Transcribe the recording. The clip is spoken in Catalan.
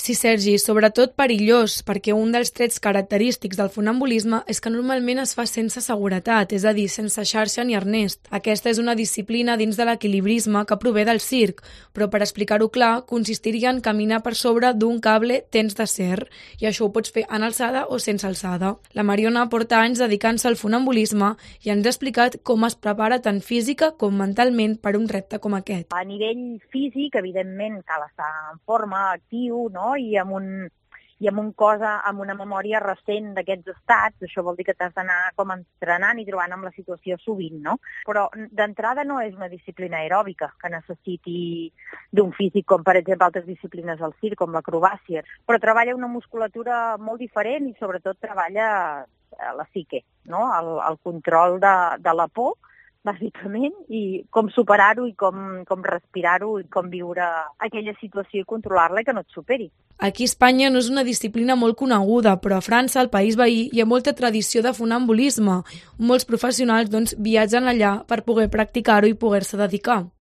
Sí, Sergi, sobretot perillós, perquè un dels trets característics del funambulisme és que normalment es fa sense seguretat, és a dir, sense xarxa ni arnest. Aquesta és una disciplina dins de l'equilibrisme que prové del circ, però per explicar-ho clar, consistiria en caminar per sobre d'un cable tens d'acer, i això ho pots fer en alçada o sense alçada. La Mariona porta anys dedicant-se al funambulisme i ens ha explicat com es prepara tant física com mentalment per un repte com aquest. A nivell físic, evidentment, cal estar en forma, actiu, no? I amb un cos, amb una memòria recent d'aquests estats. Això vol dir que t'has d'anar com entrenant i trobant amb la situació sovint, no? Però d'entrada no és una disciplina aeròbica que necessiti d'un físic com, per exemple, altres disciplines del circ, com l'acrobàcia, però treballa una musculatura molt diferent i sobretot treballa la psique, no? El control de la por, bàsicament, i com superar-ho i com respirar-ho i com viure aquella situació i controlar-la i que no et superi. Aquí a Espanya no és una disciplina molt coneguda, però a França, el país veí, hi ha molta tradició de funambulisme. Molts professionals viatgen allà per poder practicar-ho i poder-se dedicar.